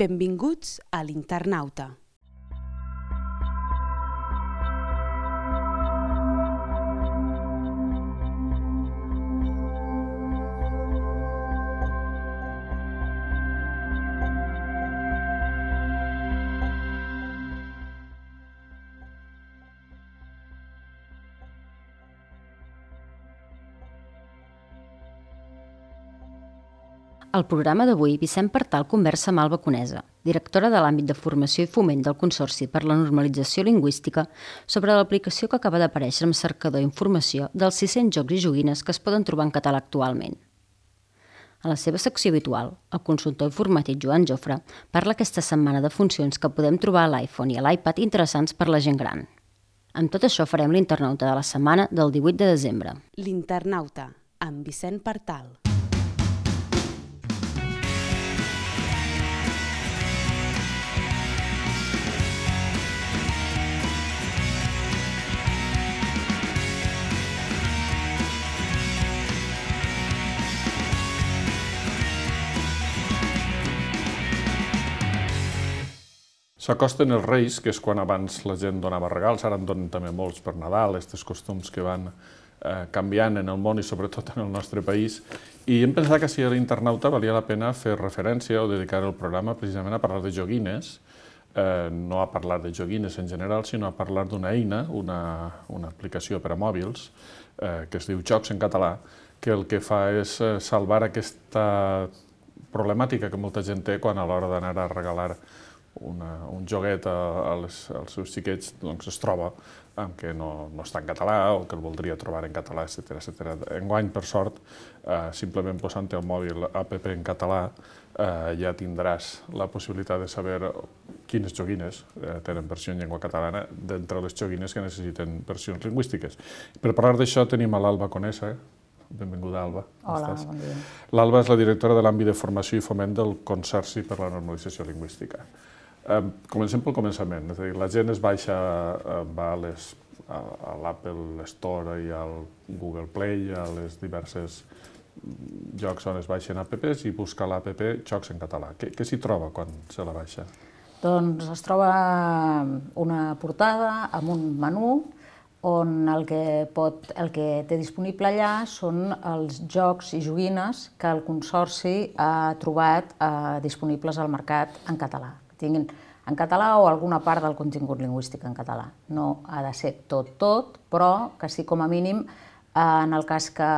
Benvinguts a l'Internauta. Al programa d'avui, Vicent Partal conversa amb Alba Conesa, directora de l'àmbit de formació i foment del Consorci per la Normalització Lingüística, sobre l'aplicació que acaba d'aparèixer amb cercador informació dels 600 jocs i joguines que es poden trobar en català actualment. A la seva secció habitual, el consultor informàtic Joan Jofre parla aquesta setmana de funcions que podem trobar a l'iPhone i a l'iPad interessants per la gent gran. Amb tot això farem l'Internauta de la setmana del 18 de desembre. L'Internauta, amb Vicent Partal. S'acosten els Reis, que és quan abans la gent donava regals, ara en donen també molts per Nadal, aquests costums que van canviant en el món i sobretot en el nostre país. I hem pensat que si a l'Internauta valia la pena fer referència o dedicar el programa precisament a parlar de joguines, no a parlar de joguines en general, sinó a parlar d'una eina, una aplicació per a mòbils, que es diu Jocs en català, que el que fa és salvar aquesta problemàtica que molta gent té quan a l'hora d'anar a regalar un joguet als seus xiquets es troba que no està en català o que el voldria trobar en català, etc. Enguany, per sort, simplement posant el mòbil app en català ja tindràs la possibilitat de saber quines joguines tenen versió en llengua catalana d'entre les joguines que necessiten versions lingüístiques. Per parlar d'això tenim a l'Alba Conesa. Benvinguda, Alba. Hola, bon dia. L'Alba és la directora de l'àmbit de formació i foment del Consorci per la Normalització Lingüística. Comencem pel començament, és a dir, la gent va a l'Apple Store i al Google Play, a les diverses llocs on es baixen apps i busca l'app Jocs en català. Què s'hi troba quan se la baixa? Doncs es troba una portada amb un menú on el que té disponible allà són els jocs i joguines que el Consorci ha trobat disponibles al mercat en català. Tinguin en català o alguna part del contingut lingüístic en català. No ha de ser tot, però que sí com a mínim, en el cas que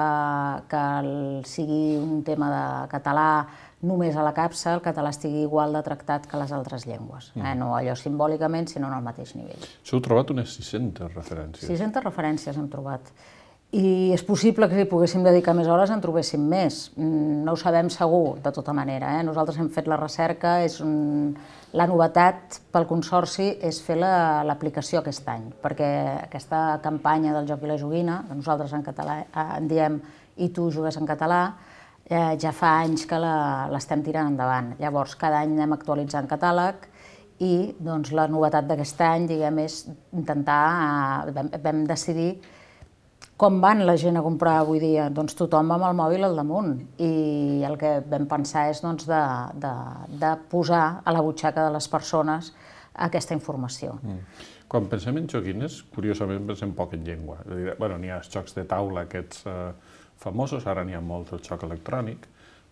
sigui un tema de català només a la capsa, el català estigui igual de tractat que les altres llengües. No allò simbòlicament, sinó en el mateix nivell. S'heu trobat unes 600 referències. 600 referències hem trobat. I és possible que si poguéssim dedicar més hores en trobéssim més. No ho sabem segur, de tota manera. Nosaltres hem fet la recerca, la novetat pel Consorci és fer l'aplicació aquest any, perquè aquesta campanya del joc i la joguina, que nosaltres en català en diem i tu jugues en català, ja fa anys que l'estem tirant endavant. Llavors, cada any anem actualitzant catàleg i la novetat d'aquest any, diguem, és intentar, vam decidir com van la gent a comprar avui dia? Doncs tothom va amb el mòbil al damunt i el que vam pensar és de posar a la butxaca de les persones aquesta informació. Quan pensem en joguines, curiosament pensem poc en llengua. N'hi ha els jocs de taula aquests famosos, ara n'hi ha molt el joc electrònic,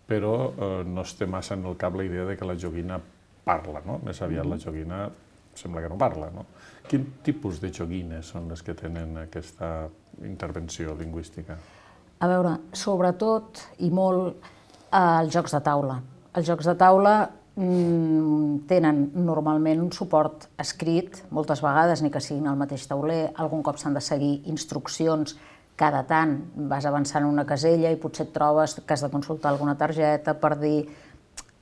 però no es té massa en el cap la idea que la joguina parla, no? Més aviat la joguina sembla que no parla, no? Quin tipus de joguines són les que tenen aquesta intervenció lingüística? A veure, sobretot i molt els jocs de taula. Els jocs de taula tenen normalment un suport escrit, moltes vegades, ni que siguin al mateix tauler, algun cop s'han de seguir instruccions, cada tant vas avançant una casella i potser et trobes que has de consultar alguna targeta per dir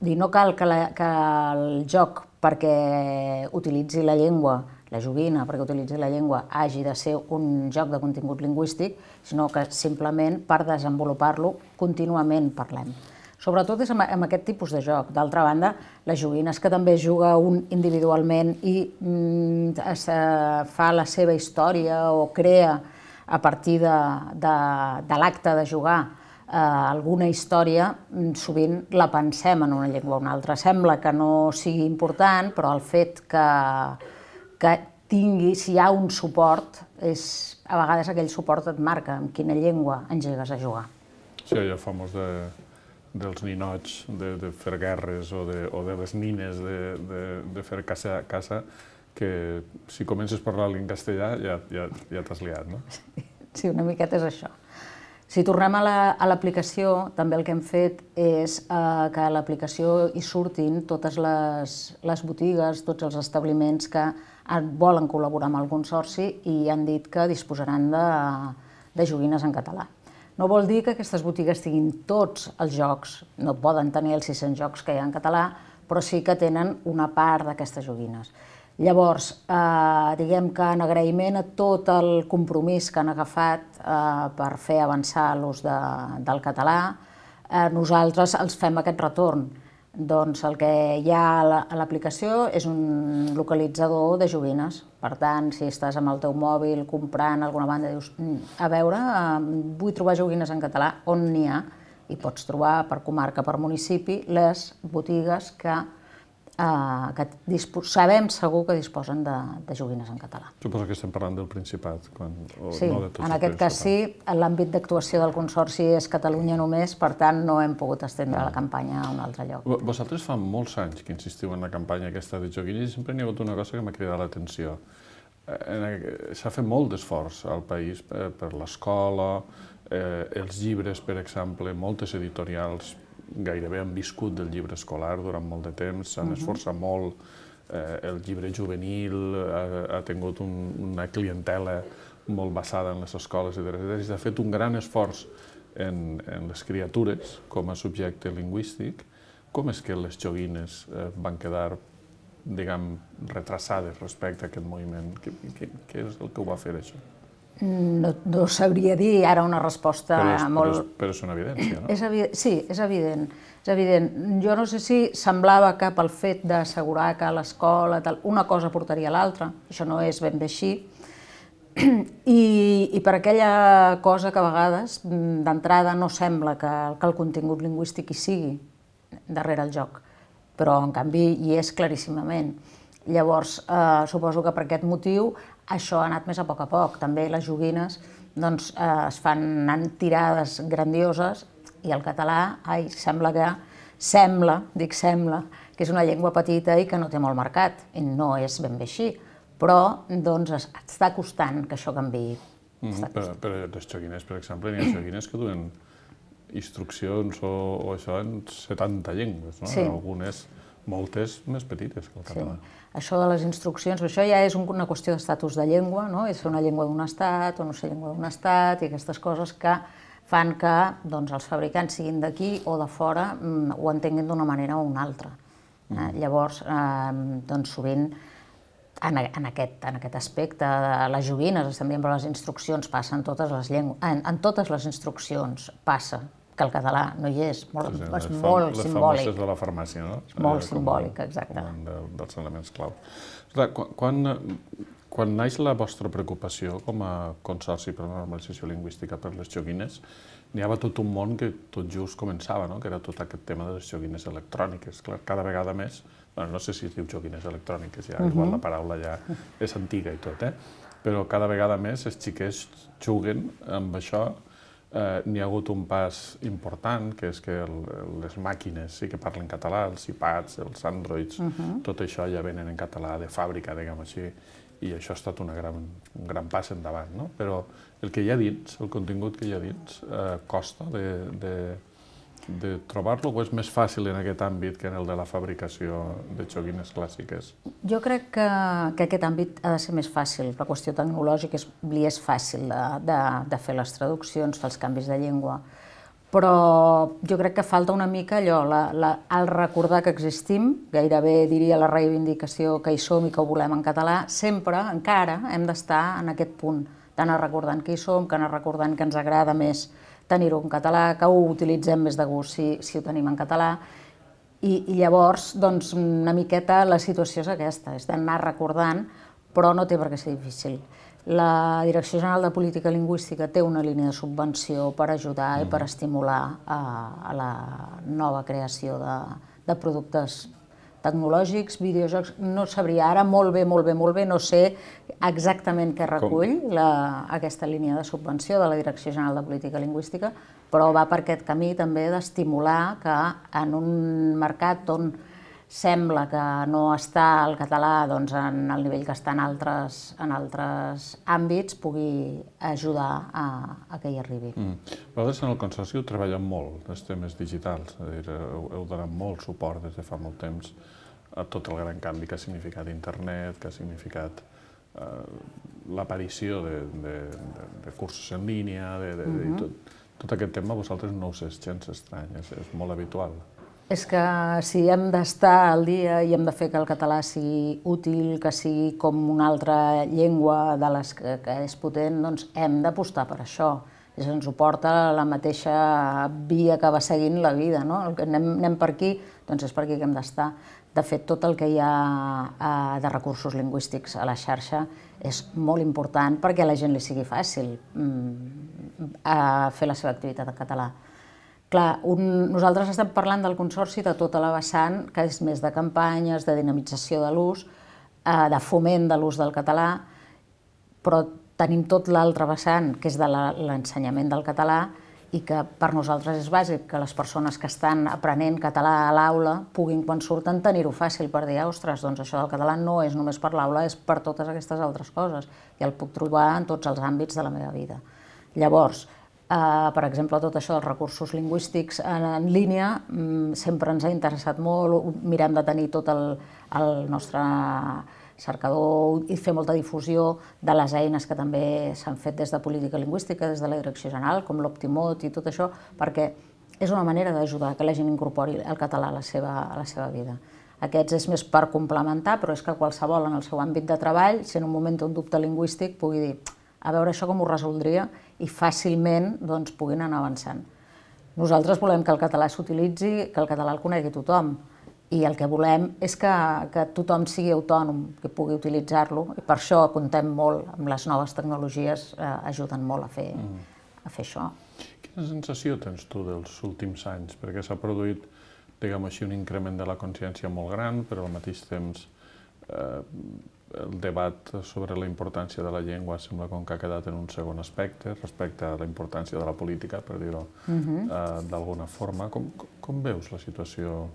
no cal que el joc perquè utilitzi la llengua, la joguina perquè utilitzi la llengua, hagi de ser un joc de contingut lingüístic, sinó que simplement per desenvolupar-lo contínuament parlem. Sobretot és amb aquest tipus de joc. D'altra banda, les joguines que també juga un individualment i fa la seva història o crea a partir de l'acte de jugar alguna història, sovint la pensem en una llengua o una altra. Sembla que no sigui important, però el fet que tingui, si hi ha un suport, a vegades aquell suport et marca en quina llengua engegues a jugar. Sí, allò famós dels ninots, de fer guerres o de les nines de fer caça, que si comences parlant en castellà ja t'has liat, no? Sí, una miqueta és això. Si tornem a l'aplicació, també el que hem fet és que a l'aplicació hi surtin totes les botigues, tots els establiments que volen col·laborar amb el Consorci i han dit que disposaran de joguines en català. No vol dir que aquestes botigues tinguin tots els jocs, no poden tenir els 600 jocs que hi ha en català, però sí que tenen una part d'aquestes joguines. Llavors, diguem que en agraïment a tot el compromís que han agafat per fer avançar l'ús del català, nosaltres els fem aquest retorn. Doncs el que hi ha a l'aplicació és un localitzador de joguines. Per tant, si estàs amb el teu mòbil comprant alguna banda i dius a veure, vull trobar joguines en català, on n'hi ha? I pots trobar per comarca, per municipi, les botigues que sabem segur que disposen de joguines en català. Suposo que estem parlant del Principat. Sí, en aquest cas sí. L'àmbit d'actuació del Consorci és Catalunya només, per tant no hem pogut estendre la campanya a un altre lloc. Vosaltres fa molts anys que insistiu en la campanya aquesta de joguines i sempre n'hi ha hagut una cosa que m'ha cridat l'atenció. S'ha fet molt d'esforç al país per l'escola, els llibres, per exemple, moltes editorials gairebé han viscut del llibre escolar durant molt de temps, s'han esforçat molt, el llibre juvenil ha tingut una clientela molt basada en les escoles i s'ha fet un gran esforç en les criatures com a subjecte lingüístic. Com és que les joguines van quedar, diguem, retrasades respecte a aquest moviment? Què és el que ho va fer, això? No sabria dir ara una resposta molt... Però és una evidència, no? Sí, és evident. Jo no sé si semblava que pel fet d'assegurar que a l'escola una cosa portaria a l'altra, això no és ben bé així, i per aquella cosa que a vegades d'entrada no sembla que el contingut lingüístic hi sigui darrere el joc, però en canvi hi és claríssimament. Llavors, suposo que per aquest motiu això ha anat més a poc. També les joguines es fan tirades grandioses i el català sembla que és una llengua petita i que no té molt mercat. I no és ben bé així, però està costant que això canviï. Per les joguines, per exemple, n'hi ha joguines que duen instruccions o això en 70 llengües, no? Algunes, moltes més petites que el català. Això de les instruccions, això ja és una qüestió d'estatus de llengua, no? És una llengua d'un estat o no ser llengua d'un estat i aquestes coses que fan que els fabricants siguin d'aquí o de fora ho entenguin d'una manera o una altra. Llavors, sovint, en aquest aspecte de les joguines, estem dient, però les instruccions passen en totes les llengües, en totes les instruccions passa que el català no hi és, és molt simbòlic. Les famoses de la farmàcia, no? Molt simbòlic, exacte. Dels elements clau. Quan naix la vostra preocupació com a Consorci per la Normalització Lingüística per les joguines, n'hi havia tot un món que tot just començava, que era tot aquest tema de les joguines electròniques. Cada vegada més, no sé si es diu joguines electròniques, igual la paraula ja és antiga i tot, però cada vegada més els xiquets juguen amb això. N'hi ha hagut un pas important, que és que les màquines sí que parlen català, els iPads, els Androids, tot això ja venen en català de fàbrica, diguem així, i això ha estat un gran pas endavant, no? Però el que hi ha dins, el contingut que hi ha dins, costa de trobar-lo o és més fàcil en aquest àmbit que en el de la fabricació de joguines clàssiques? Jo crec que aquest àmbit ha de ser més fàcil. La qüestió tecnològica li és fàcil de fer les traduccions, fer els canvis de llengua, però jo crec que falta una mica allò, el recordar que existim, gairebé diria la reivindicació que hi som i que ho volem en català, sempre, encara, hem d'estar en aquest punt, d'anar recordant que hi som, que anar recordant que ens agrada més tenir-ho en català, que ho utilitzem més de gust si ho tenim en català, i llavors, una miqueta la situació és aquesta, és d'anar recordant, però no té per què ser difícil. La Direcció General de Política Lingüística té una línia de subvenció per ajudar i per estimular a la nova creació de productes tecnològics, videojocs. No sabria ara molt bé, no sé exactament què recull aquesta línia de subvenció de la Direcció General de Política Lingüística, però va per aquest camí també d'estimular que en un mercat on sembla que no està el català en el nivell que està en altres àmbits, pugui ajudar a que hi arribi. Vosaltres en el Consorci heu treballat molt els temes digitals, és a dir, heu donat molt suport des de fa molt temps a tot el gran canvi que ha significat internet, que ha significat l'aparició de cursos en línia, tot aquest tema a vosaltres no us és gens estrany, és molt habitual. És que si hem d'estar al dia i hem de fer que el català sigui útil, que sigui com una altra llengua de les que és potent, doncs hem d'apostar per això. Ens ho porta la mateixa via que va seguint la vida, no? Anem per aquí, doncs és per aquí que hem d'estar. De fet, tot el que hi ha de recursos lingüístics a la xarxa és molt important perquè a la gent li sigui fàcil fer la seva activitat en català. Clar, nosaltres estem parlant del Consorci de tota la vessant, que és més de campanyes, de dinamització de l'ús, de foment de l'ús del català, però tenim tot l'altre vessant, que és de l'ensenyament del català, i que per nosaltres és bàsic que les persones que estan aprenent català a l'aula puguin, quan surten, tenir-ho fàcil per dir, ostres, doncs això del català no és només per l'aula, és per totes aquestes altres coses, i el puc trobar en tots els àmbits de la meva vida. Llavors, per exemple, tot això dels recursos lingüístics en línia sempre ens ha interessat molt, mirem de tenir tot el nostre cercador i fer molta difusió de les eines que també s'han fet des de política lingüística, des de la Direcció General, com l'Optimot i tot això, perquè és una manera d'ajudar que la gent incorpori el català a la seva vida. Aquests és més per complementar, però és que qualsevol en el seu àmbit de treball, si en un moment té un dubte lingüístic, pugui dir a veure això com ho resoldria i fàcilment puguin anar avançant. Nosaltres volem que el català s'utilitzi, que el català el conegui tothom, i el que volem és que tothom sigui autònom, que pugui utilitzar-lo, i per això comptem molt amb les noves tecnologies, ajuden molt a fer això. Quina sensació tens tu dels últims anys? Perquè s'ha produït, diguem així, un increment de la consciència molt gran, però al mateix temps el debat sobre la importància de la llengua sembla com que ha quedat en un segon aspecte respecte a la importància de la política, per dir-ho d'alguna forma. Com veus la situació?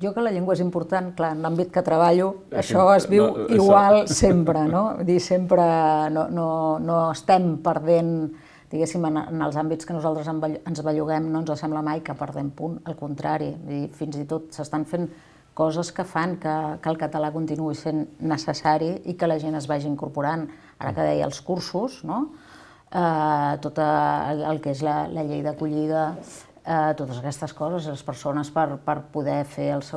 Jo que la llengua és important, clar, en l'àmbit que treballo, això es viu igual sempre, no? Vull dir, sempre no estem perdent, diguéssim, en els àmbits que nosaltres ens belluguem, no ens sembla mai que perdem punt, al contrari, fins i tot s'estan fent coses que fan que el català continuï sent necessari i que la gent es vagi incorporant. Ara que deia els cursos, no? Tot el que és la llei d'acollida, totes aquestes coses, les persones per poder fer els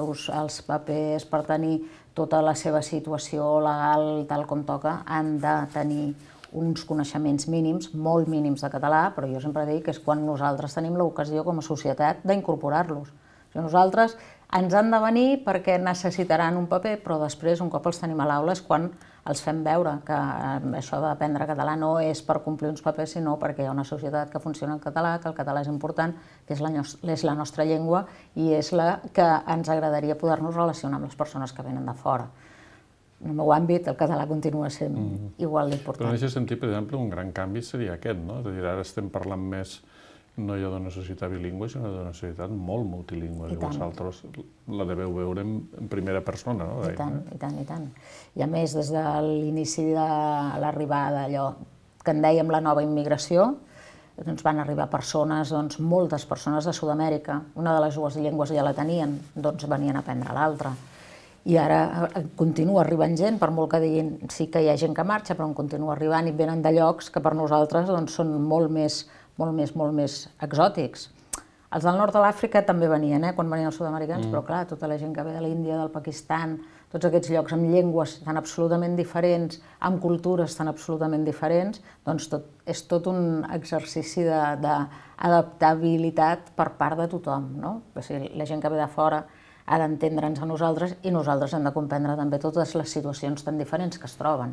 papers, per tenir tota la seva situació legal tal com toca, han de tenir uns coneixements mínims, molt mínims de català, però jo sempre dic que és quan nosaltres tenim l'ocasió com a societat d'incorporar-los. Nosaltres ens han de venir perquè necessitaran un paper, però després, un cop els tenim a l'aula, és quan els fem veure que això d'aprendre català no és per complir uns papers, sinó perquè hi ha una societat que funciona en català, que el català és important, que és la nostra llengua i és la que ens agradaria poder-nos relacionar amb les persones que venen de fora. En el meu àmbit, el català continua sent igual d'important. Però en aquest sentit, per exemple, un gran canvi seria aquest, no? És a dir, ara estem parlant més no ja d'una societat bilingüe, sinó d'una societat molt multilingüe, i vosaltres la deveu veure en primera persona, no? I tant, i tant, i tant. I a més, des de l'inici de l'arribada, allò que en dèiem la nova immigració, doncs van arribar persones, moltes persones de Sud-amèrica. Una de les dues llengües ja la tenien, doncs venien a aprendre l'altra. I ara continua arribant gent, per molt que diguin sí que hi ha gent que marxa, però en continua arribant i venen de llocs que per nosaltres són molt més exòtics. Els del nord de l'Àfrica també venien, quan venien els sud-americans, però clar, tota la gent que ve de l'Índia, del Pakistan, tots aquests llocs amb llengües tan absolutament diferents, amb cultures tan absolutament diferents, doncs és tot un exercici d'adaptabilitat per part de tothom, no? O sigui, la gent que ve de fora ha d'entendre'ns a nosaltres i nosaltres hem de comprendre també totes les situacions tan diferents que es troben.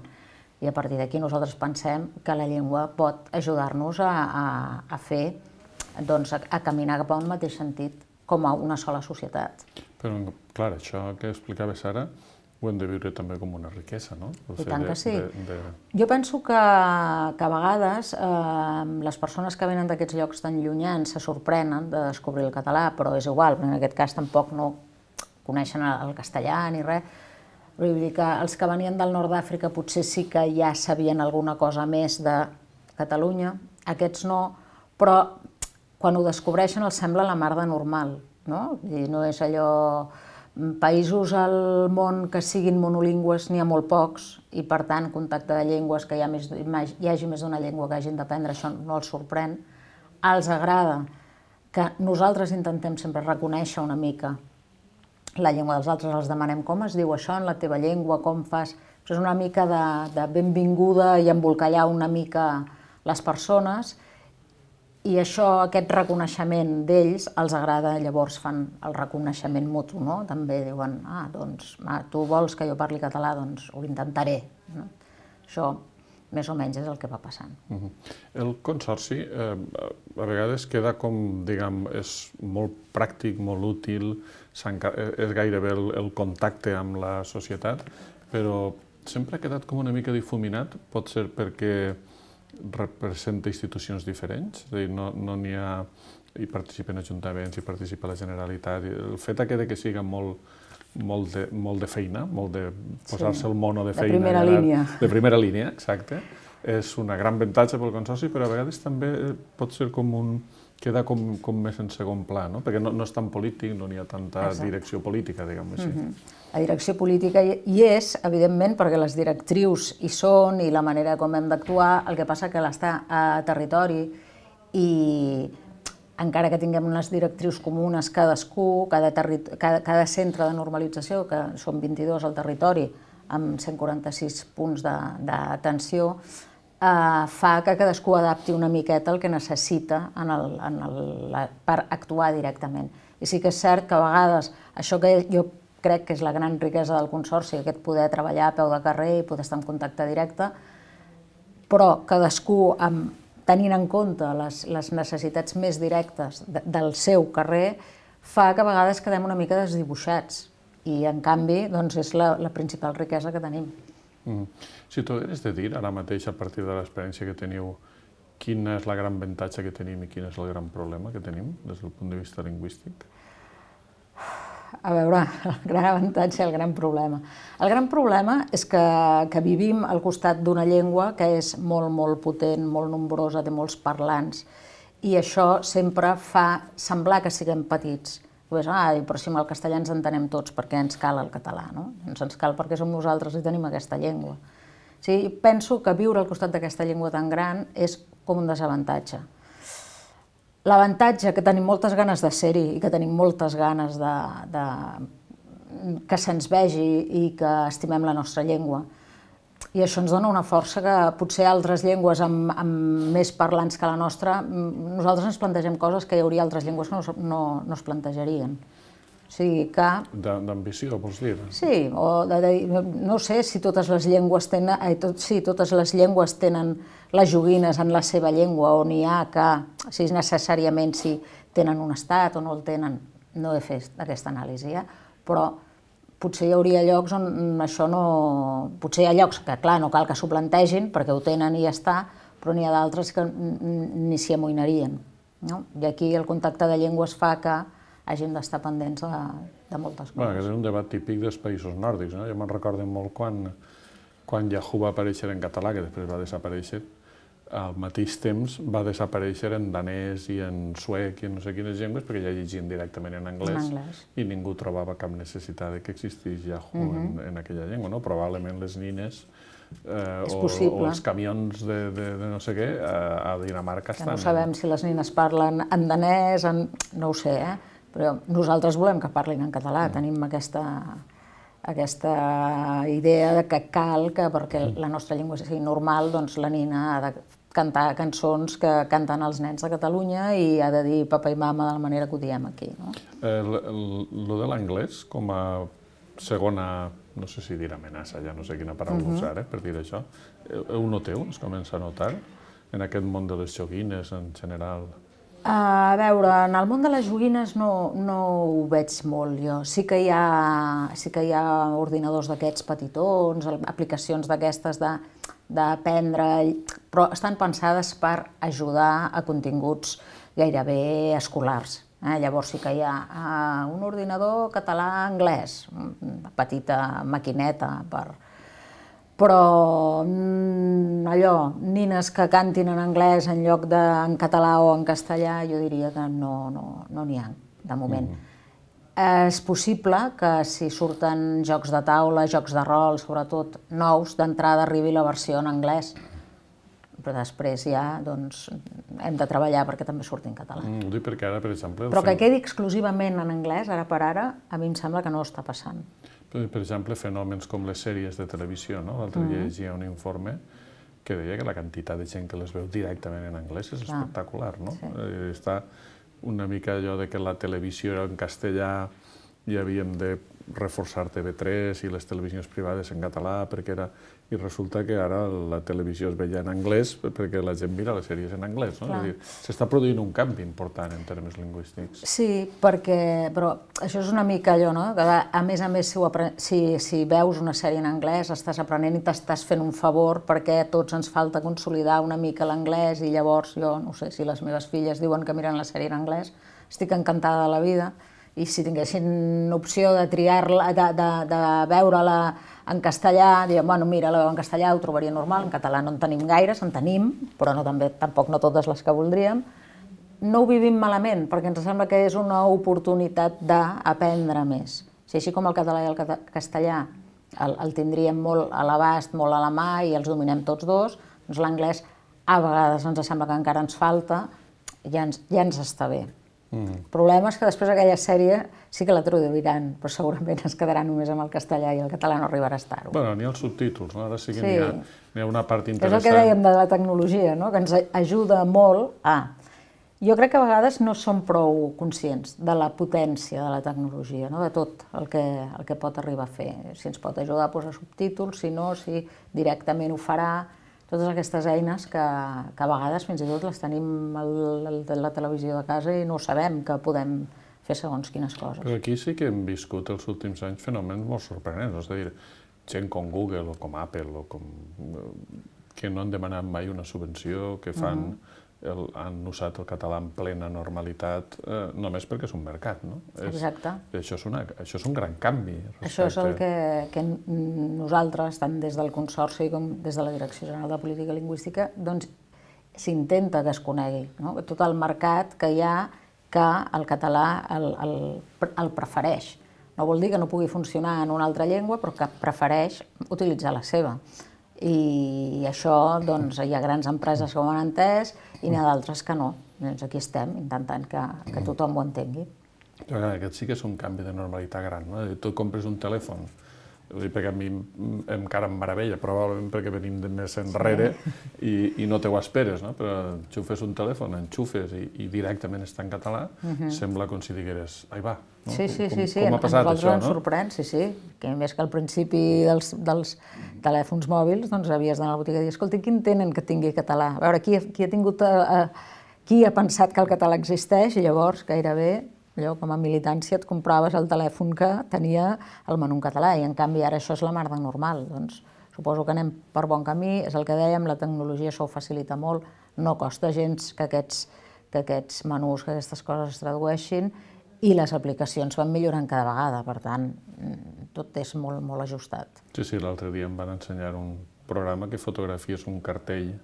I a partir d'aquí nosaltres pensem que la llengua pot ajudar-nos a fer, doncs, a caminar cap a un mateix sentit com a una sola societat. Però, clar, això que explicaves ara ho hem de viure també com una riquesa, no? I tant que sí. Jo penso que a vegades les persones que venen d'aquests llocs tan llunyans se sorprenen de descobrir el català, però és igual, en aquest cas tampoc no coneixen el castellà ni res. Vull dir que els que venien del nord d'Àfrica potser sí que ja sabien alguna cosa més de Catalunya, aquests no, però quan ho descobreixen els sembla la mar de normal, no? I no és allò... Països al món que siguin monolingües n'hi ha molt pocs i, per tant, contacte de llengües, que hi hagi més d'una llengua que hagin d'aprendre, això no els sorprèn. Els agrada que nosaltres intentem sempre reconèixer una mica la llengua dels altres, els demanem com es diu això en la teva llengua, com fas... És una mica de benvinguda i embolcallar una mica les persones. I això, aquest reconeixement d'ells, els agrada, llavors fan el reconeixement mutu, no? També diuen, doncs, tu vols que jo parli català, doncs ho intentaré. Això, més o menys, és el que va passant. El consorci, a vegades queda com, diguem, és molt pràctic, molt útil, és gairebé el contacte amb la societat, però sempre ha quedat com una mica difuminat, pot ser perquè representa institucions diferents, és a dir, no n'hi ha... Hi participen ajuntaments, hi participa la Generalitat, el fet que siga molt de feina, molt de posar-se el mono de feina... De primera línia. De primera línia, exacte. És una gran avantatge pel consorci, però a vegades també pot ser queda com més en segon pla, no? Perquè no és tan polític, no n'hi ha tanta direcció política, diguem-ho així. La direcció política hi és, evidentment, perquè les directrius hi són i la manera com hem d'actuar, el que passa que l'està a territori i encara que tinguem unes directrius comunes cadascú, cada centre de normalització, que són 22 al territori, amb 146 punts d'atenció, fa que cadascú adapti una miqueta el que necessita per actuar directament. I sí que és cert que a vegades això que jo crec que és la gran riquesa del consorci, aquest poder treballar a peu de carrer i poder estar en contacte directe, però cadascú, tenint en compte les necessitats més directes del seu carrer, fa que a vegades quedem una mica desdibuixats. I, en canvi, és la principal riquesa que tenim. Si tu hagués de dir, ara mateix, a partir de l'experiència que teniu, quina és la gran avantatge que tenim i quin és el gran problema que tenim des del punt de vista lingüístic? A veure, el gran avantatge i el gran problema. El gran problema és que vivim al costat d'una llengua que és molt, molt potent, molt nombrosa, té molts parlants, i això sempre fa semblar que siguem petits. Però si amb el castellà ens entenem tots, perquè ens cal el català, no? Ens cal perquè som nosaltres i tenim aquesta llengua. Penso que viure al costat d'aquesta llengua tan gran és com un desavantatge. L'avantatge, que tenim moltes ganes de ser-hi i que tenim moltes ganes que se'ns vegi i que estimem la nostra llengua. I això ens dona una força que potser altres llengües amb més parlants que la nostra, nosaltres ens plantegem coses que hi hauria altres llengües que no es plantejarien. O sigui que... D'ambició, vols dir? Sí, o no sé si totes les llengües tenen les joguines en la seva llengua, o n'hi ha que, si necessàriament si tenen un estat o no el tenen, no he fet aquesta anàlisi, però potser hi hauria llocs on això no... Potser hi ha llocs que, clar, no cal que s'ho plantegin perquè ho tenen i ja està, però n'hi ha d'altres que ni s'hi amoïnarien. I aquí el contacte de llengües fa que hàgim d'estar pendents de moltes coses. Aquest és un debat típic dels països nòrdics. Jo me'n recordo molt quan Yahoo va aparèixer en català, que després va desaparèixer, al mateix temps va desaparèixer en danès i en suec i en no sé quines llengües, perquè ja llegien directament en anglès i ningú trobava cap necessitat que existís Yahoo en aquella llengua. Probablement les nines o els camions de no sé què a Dinamarca estan... No sabem si les nines parlen en danès, no ho sé, però nosaltres volem que parlin en català, tenim aquesta idea que cal que perquè la nostra llengua sigui normal, doncs la nina ha de cantar cançons que canten els nens de Catalunya i ha de dir papa i mama de la manera que ho diem aquí. Lo de l'anglès com a segona, no sé si dir amenaça, ja no sé quina paraula usar per dir això. Ho noteu? Es comença a notar en aquest món de les joguines en general? A veure, en el món de les joguines no ho veig molt jo. Sí que hi ha ordinadors d'aquests petitons, aplicacions d'aquestes d'aprendre, però estan pensades per ajudar a continguts gairebé escolars. Llavors sí que hi ha un ordinador català-anglès, una petita maquineta però allò, nines que cantin en anglès en lloc en català o en castellà, jo diria que no n'hi ha, de moment. És possible que si surten jocs de taula, jocs de rol, sobretot nous, d'entrada arribi la versió en anglès, però després ja hem de treballar perquè també surti en català. Ho dic perquè ara, per exemple... Però que quedi exclusivament en anglès, ara per ara, a mi em sembla que no està passant. Per exemple, fenòmens com les sèries de televisió, no? L'altre dia llegia un informe que deia que la quantitat de gent que les veu directament en anglès és espectacular, no? Està una mica allò de que la televisió era en castellà i havíem de reforçar TV3 i les televisions privades en català perquè era... I resulta que ara la televisió es veia en anglès perquè la gent mira les sèries en anglès, no? És a dir, s'està produint un canvi important en termes lingüístics. Sí, però això és una mica allò, no? Que a més, si veus una sèrie en anglès estàs aprenent i t'estàs fent un favor perquè a tots ens falta consolidar una mica l'anglès i llavors jo, no sé, si les meves filles diuen que miren la sèrie en anglès, estic encantada de la vida i si tinguessin opció de triar-la, de veure-la en castellà, dirien, bueno, mira, la veu en castellà ho trobaria normal, en català no en tenim gaires, en tenim, però tampoc no totes les que voldríem. No ho vivim malament, perquè ens sembla que és una oportunitat d'aprendre més. Si així com el català i el castellà el tindríem molt a l'abast, molt a la mà i els dominem tots dos, doncs l'anglès a vegades ens sembla que encara ens falta i ja ens està bé. El problema és que després aquella sèrie sí que la traduiran, però segurament es quedarà només amb el castellà i el català no arribarà a estar-ho. Bueno, n'hi ha els subtítols, no? Ara sí que n'hi ha una part interessant. És el que dèiem de la tecnologia, no? Que ens ajuda molt a... Jo crec que a vegades no som prou conscients de la potència de la tecnologia, no? De tot el que pot arribar a fer. Si ens pot ajudar a posar subtítols, si no, si directament ho farà... Totes aquestes eines que a vegades fins i tot les tenim a la televisió de casa i no sabem que podem fer segons quines coses. Però aquí sí que hem viscut els últims anys fenòmens molt sorprenents, és a dir, gent com Google o com Apple o que no han demanat mai una subvenció, que han usat el català en plena normalitat només perquè és un mercat, no? Exacte. Això és un gran canvi. Això és el que nosaltres, tant des del Consorci com des de la Direcció General de Política Lingüística, doncs s'intenta que es conegui, no? Tot el mercat que hi ha que el català el prefereix. No vol dir que no pugui funcionar en una altra llengua, però que prefereix utilitzar la seva. I això, doncs, hi ha grans empreses que ho han entès i n'hi ha d'altres que no. Doncs aquí estem, intentant que tothom ho entengui. Aquest sí que és un canvi de normalitat gran, no? Tu compres un telèfon, perquè a mi encara em meravella, probablement perquè venim de més enrere i no te ho esperes, no? Però enxufes un telèfon, enxufes i directament està en català, sembla com si digueres, ai va, no? Sí, com ha passat això, no? A nosaltres ens sorprèn, sí, que més que al principi dels telèfons mòbils, doncs havies d'anar a la botiga i dir, escolta, quin tenen que tingui català? A veure, qui ha pensat que el català existeix? I llavors, gairebé, allò, com a militància, et compraves el telèfon que tenia el menú en català i en canvi ara això és la mar de normal. Doncs suposo que anem per bon camí, és el que dèiem, la tecnologia això ho facilita molt, no costa gens que aquests menús, que aquestes coses es tradueixin i les aplicacions van millorant cada vegada, per tant, tot és molt, molt ajustat. Sí, l'altre dia em van ensenyar un programa que fotografies un cartell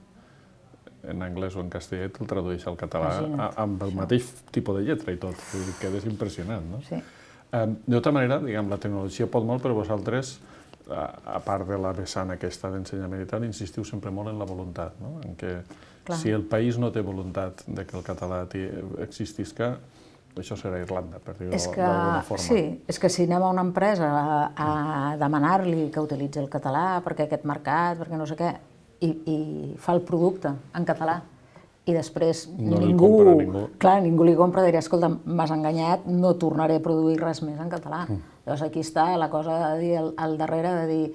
en anglès o en castellà, te'l tradueix al català amb el mateix tipus de lletra i tot. Quedes impressionant, no? Sí. D'altra manera, diguem, la tecnologia pot molt, però vosaltres, a part de la vessant aquesta d'ensenyament i tal, insistiu sempre molt en la voluntat, no? En que si el país no té voluntat de que el català existisca, això serà Irlanda, per dir-ho d'alguna forma. Sí, és que si anem a una empresa a demanar-li que utilitzi el català perquè aquest mercat, perquè no sé què, i fa el producte en català i després ningú li compra, diria, escolta, m'has enganyat, no tornaré a produir res més en català. Llavors aquí està la cosa de dir al darrere, de dir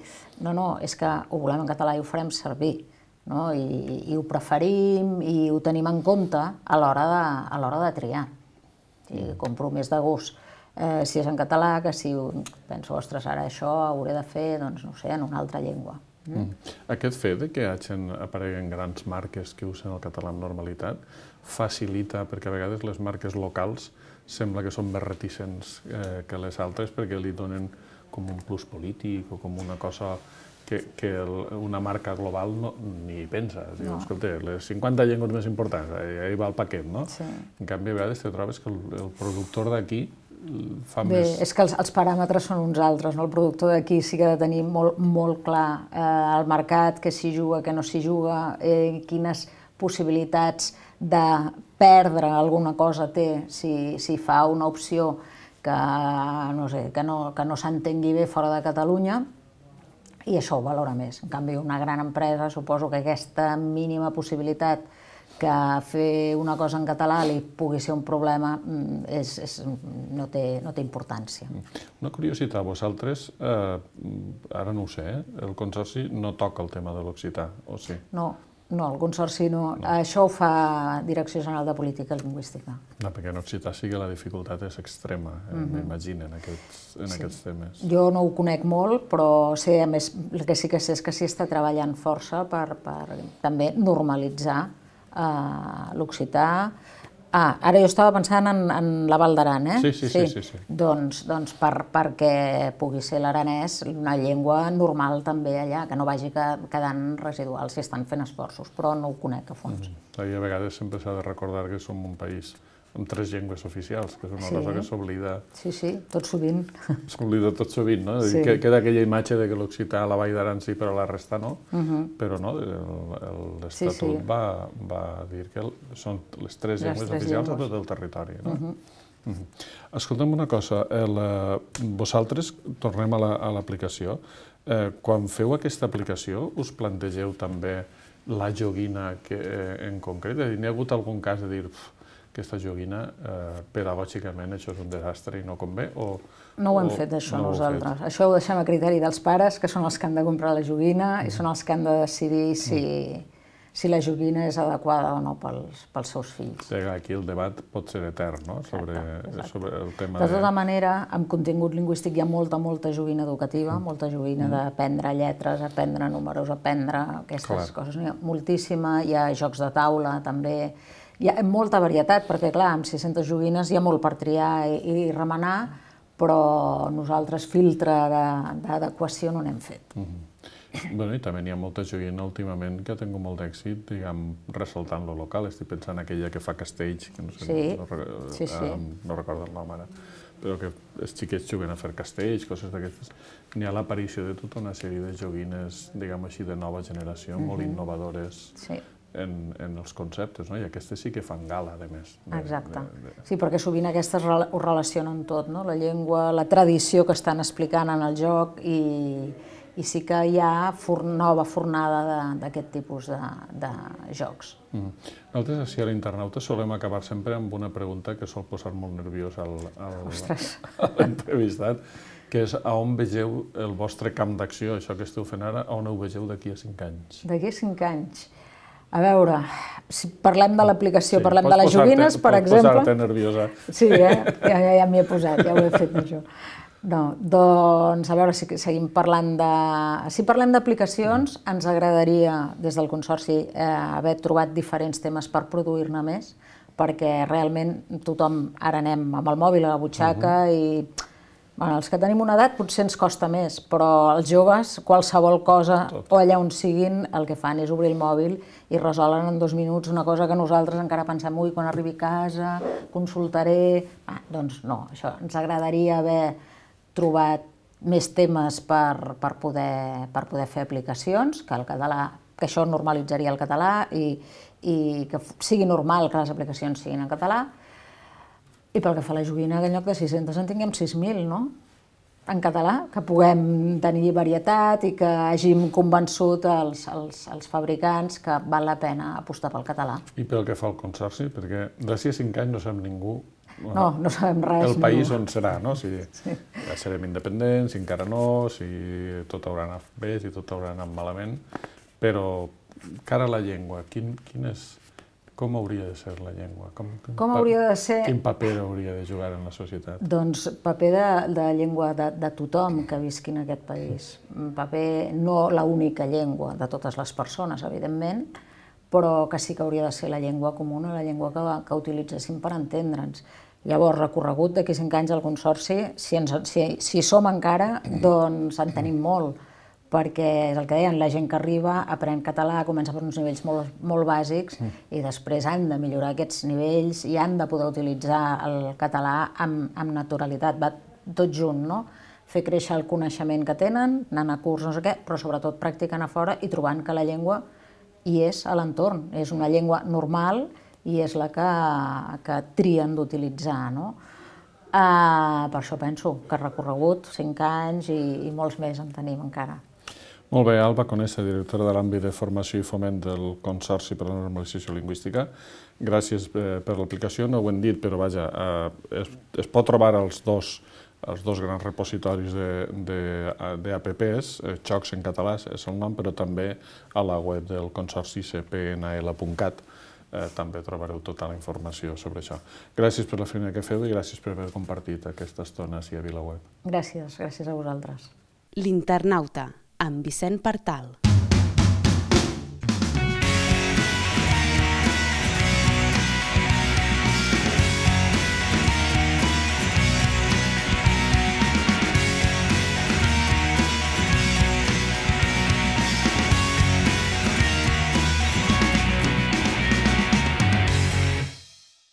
no, és que ho volem en català i ho farem servir, no? I ho preferim i ho tenim en compte a l'hora de triar. Compro més de gust si és en català que si penso, ostres, ara això ho hauré de fer, doncs no sé, en una altra llengua. Aquest fet de que apareguen grans marques que usen el català amb normalitat facilita, perquè a vegades les marques locals sembla que són més reticents que les altres perquè li donen com un plus polític o com una cosa que una marca global ni pensa. Diu, escolta, les 50 llengües més importants, ahí va el paquet, no? En canvi, a vegades te trobes que el productor d'aquí fa més... Bé, és que els paràmetres són uns altres, no? El productor d'aquí sí que ha de tenir molt clar el mercat, què s'hi juga, què no s'hi juga, quines possibilitats de perdre alguna cosa té si fa una opció que no s'entengui bé fora de Catalunya, i això ho valora més. En canvi, una gran empresa, suposo que aquesta mínima possibilitat que fer una cosa en català li pugui ser un problema no té importància. Una curiositat, vosaltres, ara no ho sé, el Consorci no toca el tema de l'occità, o sí? No, el Consorci no. Això ho fa Direcció General de Política Lingüística. No, perquè en occità sí que la dificultat és extrema, m'imagino, en aquests temes. Jo no ho conec molt, però sé, a més, el que sí que sé és que s'hi està treballant força per també normalitzar l'occità. Ara jo estava pensant en la Val d'Aran, Sí. Doncs perquè pugui ser l'aranès una llengua normal també allà, que no vagi quedant residual, si estan fent esforços, però no ho conec a fons. A vegades sempre s'ha de recordar que som un país amb 3 llengües oficials, que és una cosa que s'oblida... Sí, tot sovint. S'oblida tot sovint, no? Queda aquella imatge de que l'occità a la Vall d'Aran sí, però la resta no, però no, l'Estatut va dir que són les 3 llengües oficials a tot el territori, no? Escolta'm una cosa, vosaltres, tornem a l'aplicació, quan feu aquesta aplicació us plantegeu també la joguina en concret? N'hi ha hagut algun cas de dir aquesta joguina, pedagògicament, això és un desastre i no convé? No ho hem fet, això, nosaltres. Això ho deixem a criteri dels pares, que són els que han de comprar la joguina i són els que han de decidir si la joguina és adequada o no pels seus fills. Aquí el debat pot ser etern, no?, sobre el tema de... De tota manera, amb contingut lingüístic hi ha molta joguina educativa, molta joguina d'aprendre lletres, aprendre números, aprendre aquestes coses. N'hi ha moltíssima, hi ha jocs de taula, també. Hi ha molta varietat, perquè, clar, amb 600 joguines hi ha molt per triar i remenar, però nosaltres filtre d'adequació no n'hem fet. Bé, i també n'hi ha molta joguina últimament que ha tingut molt d'èxit, diguem, ressaltant lo local. Estic pensant en aquella que fa castells, que no sé, no recordo el nom ara, però que els xiquets juguen a fer castells, coses d'aquestes. N'hi ha l'aparició de tota una sèrie de joguines, diguem així, de nova generació, molt innovadores en els conceptes, no? I aquestes sí que fan gala, a més. Exacte. Sí, perquè sovint aquestes ho relacionen tot, no? La llengua, la tradició que estan explicant en el joc i sí que hi ha nova fornada d'aquest tipus de jocs. Nosaltres, així a l'internauta, solem acabar sempre amb una pregunta que sol posar molt nerviós a l'entrevistat, que és a on vegeu el vostre camp d'acció, això que esteu fent ara, a on ho vegeu d'aquí a 5 anys? D'aquí a 5 anys? A veure, si parlem de l'aplicació, parlem de les joguines, per exemple... Pots posar-te nerviosa. Sí, ja m'hi he posat, ja ho he fet, això. No, doncs, a veure, si seguim parlant de... Si parlem d'aplicacions, ens agradaria, des del Consorci, haver trobat diferents temes per produir-ne més, perquè realment tothom ara anem amb el mòbil a la butxaca i... Bueno, els que tenim una edat potser ens costa més, però els joves, qualsevol cosa, o allà on siguin, el que fan és obrir el mòbil i resolen en 2 minuts una cosa que nosaltres encara pensem, ui, quan arribi a casa, consultaré... Doncs no, això, ens agradaria haver trobat més temes per poder fer aplicacions, que el català, que això normalitzaria el català i que sigui normal que les aplicacions siguin en català. I pel que fa a la joguina, que en lloc de 600 en tinguem 6.000, no? En català, que puguem tenir varietat i que hàgim convençut els fabricants que val la pena apostar pel català. I pel que fa al Consorci, perquè d'ací a 5 anys no sap ningú no sabem res. El país on serà, no? Si ja serem independents, si encara no, si tot haurà anat bé, si tot haurà anat malament, però cara a la llengua, com hauria de ser la llengua? Com hauria de ser? Quin paper hauria de jugar en la societat? Doncs paper de llengua de tothom que visqui en aquest país. Paper, no l'única llengua de totes les persones, evidentment, però que sí que hauria de ser la llengua comuna, la llengua que utilitzéssim per entendre'ns. Llavors, recorregut d'aquí 5 anys al Consorci, si som encara, doncs en tenim molt, perquè és el que deien, la gent que arriba aprèn català, comença per uns nivells molt bàsics i després han de millorar aquests nivells i han de poder utilitzar el català amb naturalitat, va tot junt, no? Fer créixer el coneixement que tenen, anant a curs, no sé què, però sobretot practicant a fora i trobant que la llengua hi és a l'entorn, és una llengua normal i és la que trien d'utilitzar, no? Per això penso que recorregut 5 anys i molts més en tenim encara. Molt bé, Alba Conesa, directora de l'àmbit de formació i foment del Consorci per a la Normalització Lingüística. Gràcies per l'aplicació, no ho hem dit, però vaja, es pot trobar als dos grans repositoris d'APPs, Xocs en català és el nom, però també a la web del Consorci cpnl.cat. També trobareu tota la informació sobre això. Gràcies per la feina que feu i gràcies per haver compartit aquesta estona ací a VilaWeb. Gràcies a vosaltres. L'Internauta, amb Vicent Partal.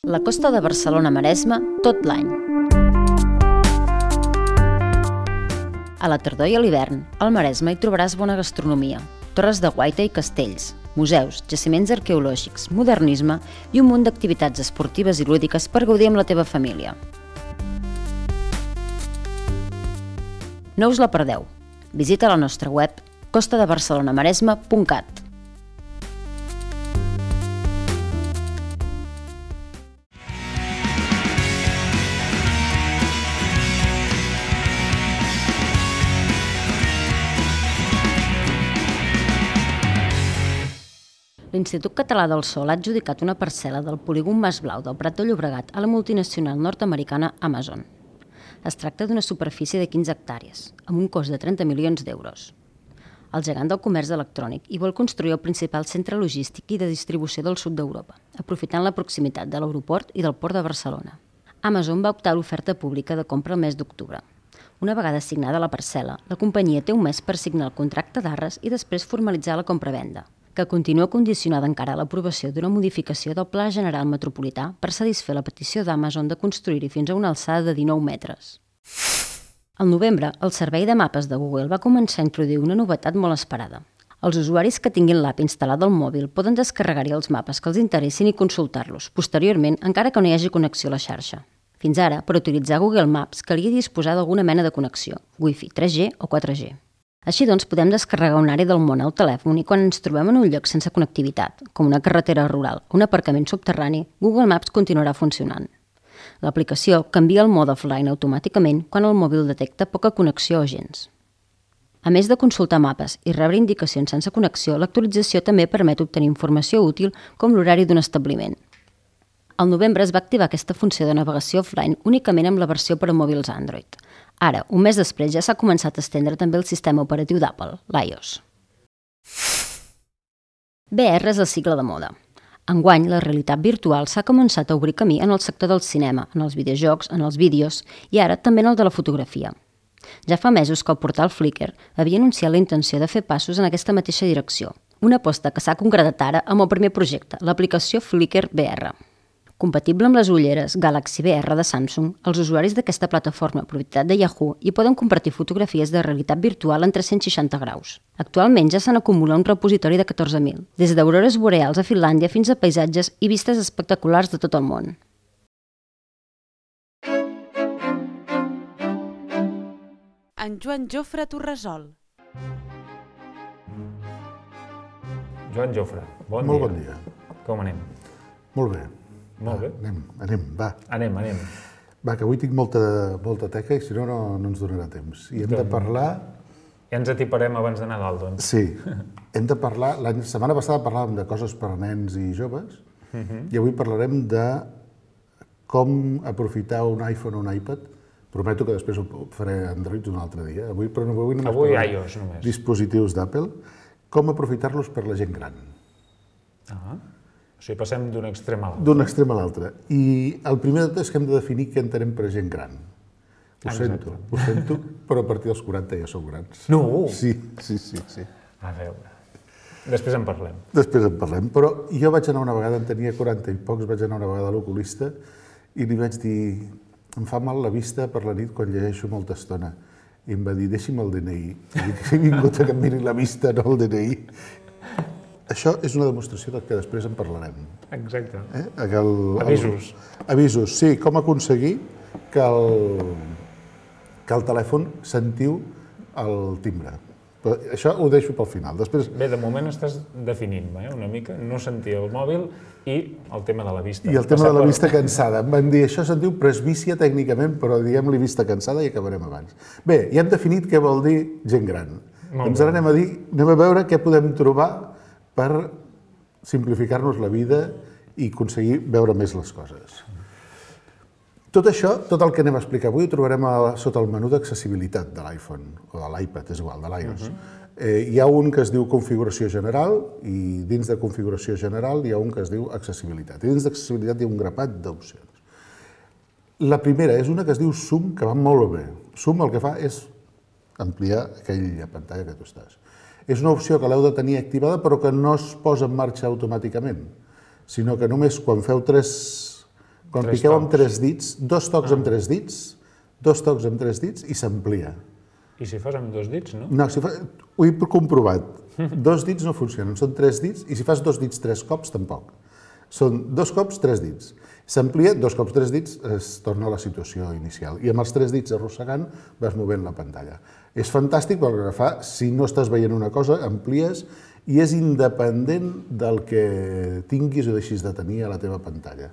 La costa de Barcelona-Maresme tot l'any. A la tardor i a l'hivern, al Maresme hi trobaràs bona gastronomia, torres de guaita i castells, museus, jaciments arqueològics, modernisme i un munt d'activitats esportives i lúdiques per gaudir amb la teva família. No us la perdeu. Visita la nostra web costadebarcelonamaresme.cat. L'Institut Català del Sol ha adjudicat una parcel·la del polígon Mas Blau del Prat de Llobregat a la multinacional nord-americana Amazon. Es tracta d'una superfície de 15 hectàrees, amb un cost de 30 milions d'euros. El gegant del comerç electrònic hi vol construir el principal centre logístic i de distribució del sud d'Europa, aprofitant la proximitat de l'aeroport i del port de Barcelona. Amazon va optar a l'oferta pública de compra el mes d'octubre. Una vegada assignada la parcel·la, la companyia té un mes per signar el contracte d'arres i després formalitzar la compra-venda, que continua condicionada encara a l'aprovació d'una modificació del Pla General Metropolità per satisfer la petició d'Amazon de construir-hi fins a una alçada de 19 metres. Al novembre, el servei de mapes de Google va començar a introduir una novetat molt esperada. Els usuaris que tinguin l'app instal·lada al mòbil poden descarregar-hi els mapes que els interessin i consultar-los, posteriorment, encara que no hi hagi connexió a la xarxa. Fins ara, per utilitzar Google Maps calia disposar d'alguna mena de connexió, Wi-Fi 3G o 4G. Així doncs, podem descarregar una àrea del món al telèfon i quan ens trobem en un lloc sense connectivitat, com una carretera rural o un aparcament subterrani, Google Maps continuarà funcionant. L'aplicació canvia el mode offline automàticament quan el mòbil detecta poca connexió o gens. A més de consultar mapes i rebre indicacions sense connexió, l'actualització també permet obtenir informació útil com l'horari d'un establiment. Al novembre es va activar aquesta funció de navegació offline únicament amb la versió per a mòbils Android. Ara, un mes després, ja s'ha començat a estendre també el sistema operatiu d'Apple, l'iOS. VR és el cicle de moda. Enguany, la realitat virtual s'ha començat a obrir camí en el sector del cinema, en els videojocs, en els vídeos i ara també en el de la fotografia. Ja fa mesos que el portal Flickr havia anunciat la intenció de fer passos en aquesta mateixa direcció, una aposta que s'ha concretat ara amb el primer projecte, l'aplicació Flickr VR. Compatible amb les ulleres Galaxy VR de Samsung, els usuaris d'aquesta plataforma propietat de Yahoo hi poden compartir fotografies de realitat virtual en 360 graus. Actualment ja se n'acumula un repositori de 14.000, des d'aurores boreals a Finlàndia fins a paisatges i vistes espectaculars de tot el món. En Joan Jofre Torresol. Joan Jofre, bon dia. Molt bon dia. Com anem? Molt bé. Molt bé. Anem, va. Anem. Va, que avui tinc molta teca i si no, no ens donarà temps. I hem de parlar... Ja ens atiparem abans de Nadal, doncs. Sí, hem de parlar... La setmana passada parlàvem de coses per a nens i joves i avui parlarem de com aprofitar un iPhone o un iPad. Prometo que després ho faré Android un altre dia. Avui només Avui parlarem iOS, només. dispositius d'Apple. Com aprofitar-los per la gent gran. O sigui, passem d'un extrem a l'altre. D'un extrem a l'altre. I el primer de tot és que hem de definir què entenem per gent gran. Ho sento, però a partir dels 40 ja sou grans. No! Sí. A veure, després en parlem. Després en parlem, però jo vaig anar una vegada, en tenia 40 i pocs, vaig anar una vegada a l'oculista i li vaig dir, em fa mal la vista per la nit quan llegeixo molta estona. I em va dir, deixi'm el DNI. I dic, he vingut a que em miri la vista, no el DNI. Això és una demostració del que després en parlarem. Exacte. Avisos. Avisos, sí. Com aconseguir que el telèfon sentiu el timbre. Però això ho deixo pel final. Després... Bé, de moment estàs definint-me una mica, no sentir el mòbil i el tema de la vista. I el tema de la vista cansada. Em van dir, això se'n diu presbícia tècnicament, però diguem-li vista cansada i acabarem abans. Bé, ja hem definit què vol dir gent gran. Doncs ara anem a veure què podem trobar per simplificar-nos la vida i aconseguir veure més les coses. Tot això, tot el que anem a explicar avui, ho trobarem sota el menú d'accessibilitat de l'iPhone, o de l'iPad, és igual, de l'iOS. Hi ha un que es diu configuració general, i dins de configuració general hi ha un que es diu accessibilitat. I dins d'accessibilitat hi ha un grapat d'opcions. La primera és una que es diu Zoom, que va molt bé. Zoom el que fa és ampliar aquella pantalla que tu estàs. És una opció que l'heu de tenir activada, però que no es posa en marxa automàticament, sinó que només quan feu quan piqueu amb 3 dits, 2 tocs amb 3 dits i s'amplia. I si fas amb 2 dits, no? No, ho he comprovat. 2 dits no funcionen, són 3 dits, i si fas 2 dits 3 cops, tampoc. Són 2 cops 3 dits. S'amplia, 2 cops 3 dits, es torna a la situació inicial. I amb els 3 dits arrossegant vas movent la pantalla. És fantàstic perquè fa, si no estàs veient una cosa, amplies i és independent del que tinguis o deixis de tenir a la teva pantalla.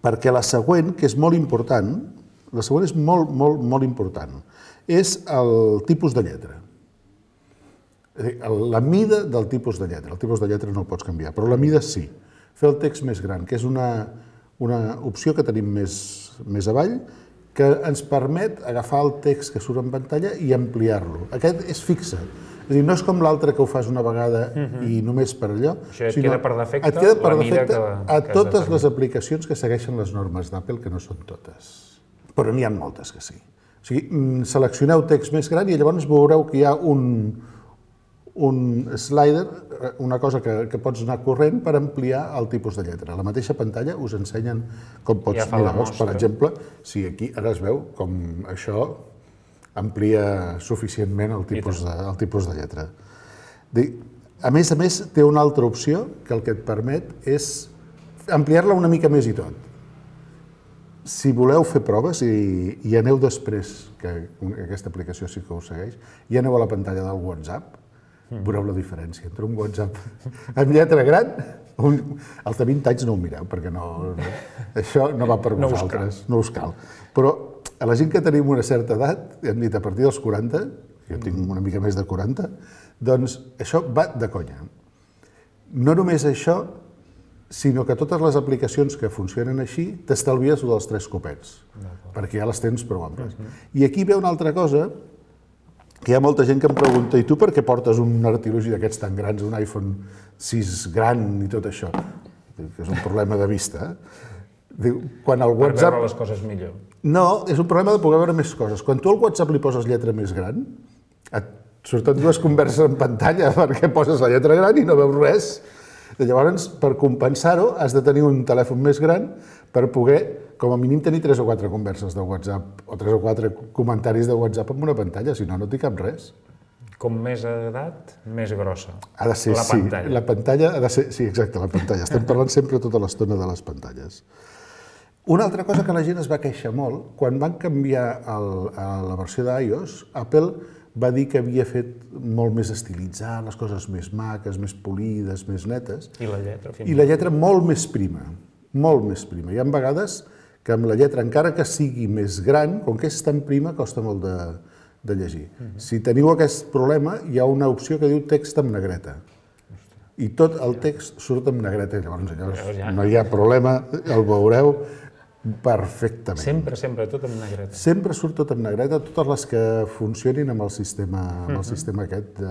Perquè la següent, que és molt important, la següent és molt important, és el tipus de lletra. La mida del tipus de lletra. El tipus de lletra no el pots canviar, però la mida sí. Fer el text més gran, que és una opció que tenim més avall, que ens permet agafar el text que surt en pantalla i ampliar-lo. Aquest és fixe. És a dir, no és com l'altre que ho fas una vegada i només per allò, Això et queda per defecte, et queda per la mida defecte que a totes les aplicacions que segueixen les normes d'Apple, que no són totes. Però n'hi ha moltes que sí. O sigui, seleccioneu text més gran i llavors veureu que hi ha un slider, una cosa que pots anar corrent per ampliar el tipus de lletra. A la mateixa pantalla us ensenyen com pots mirar. Per exemple, si aquí ara es veu com això amplia suficientment el tipus de lletra. A més, té una altra opció que el que et permet és ampliar-la una mica més i tot. Si voleu fer proves, i aneu després, que aquesta aplicació sí que ho segueix, i aneu a la pantalla del WhatsApp, veureu la diferència entre un WhatsApp amb lletra gran, els de 20 anys no ho mireu, perquè això no va per vosaltres, no us cal. Però a la gent que tenim una certa edat, hem dit a partir dels 40, jo tinc una mica més de 40, doncs això va de conya. No només això, sinó que totes les aplicacions que funcionen així t'estalvies dels 3 copets, perquè ja les tens prou amples. I aquí ve una altra cosa, que hi ha molta gent que em pregunta, i tu per què portes un artilugi d'aquests tan grans, un iPhone 6 gran i tot això? Que és un problema de vista. Quan el WhatsApp... Per veure les coses millor. No, és un problema de poder veure més coses. Quan tu al WhatsApp li poses lletra més gran, et surten 2 converses en pantalla perquè poses la lletra gran i no veus res. Llavors, per compensar-ho, has de tenir un telèfon més gran per poder, com a mínim, tenir 3 o 4 converses de WhatsApp o 3 o 4 comentaris de WhatsApp en una pantalla, si no, no t'hi cap res. Com més edat, més grossa. Ha de ser, sí. La pantalla ha de ser... Sí, exacte, la pantalla. Estem parlant sempre tota l'estona de les pantalles. Una altra cosa que la gent es va queixar molt, quan van canviar a la versió d'iOS, Apple va dir que havia fet molt més estilitzar, les coses més maques, més polides, més netes. I la lletra? I la lletra molt més prima. molt més prima. Hi ha vegades que amb la lletra, encara que sigui més gran, com que és tan prima, costa molt de llegir. Si teniu aquest problema, hi ha una opció que diu text en negreta. I tot el text surt en negreta. Llavors, no hi ha problema, el veureu perfectament. Sempre, tot en negreta. Sempre surt tot en negreta, totes les que funcionin amb el sistema aquest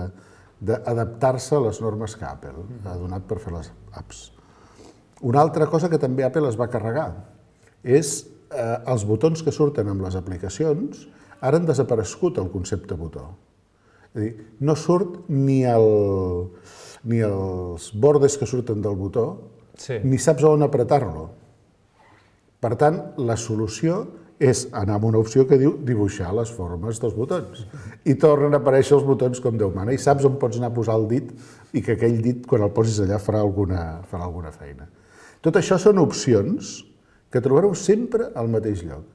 d'adaptar-se a les normes que Apple ha donat per fer les apps. Una altra cosa que també Apple es va carregar és els botons que surten amb les aplicacions, ara han desaparegut el concepte botó. És a dir, no surt ni els bordes que surten del botó, ni saps on apretar-lo. Per tant, la solució és anar amb una opció que diu dibuixar les formes dels botons. I tornen a aparèixer els botons com Déu mana, i saps on pots anar a posar el dit i que aquell dit, quan el posis allà, farà alguna feina. Tot això són opcions que trobareu sempre al mateix lloc.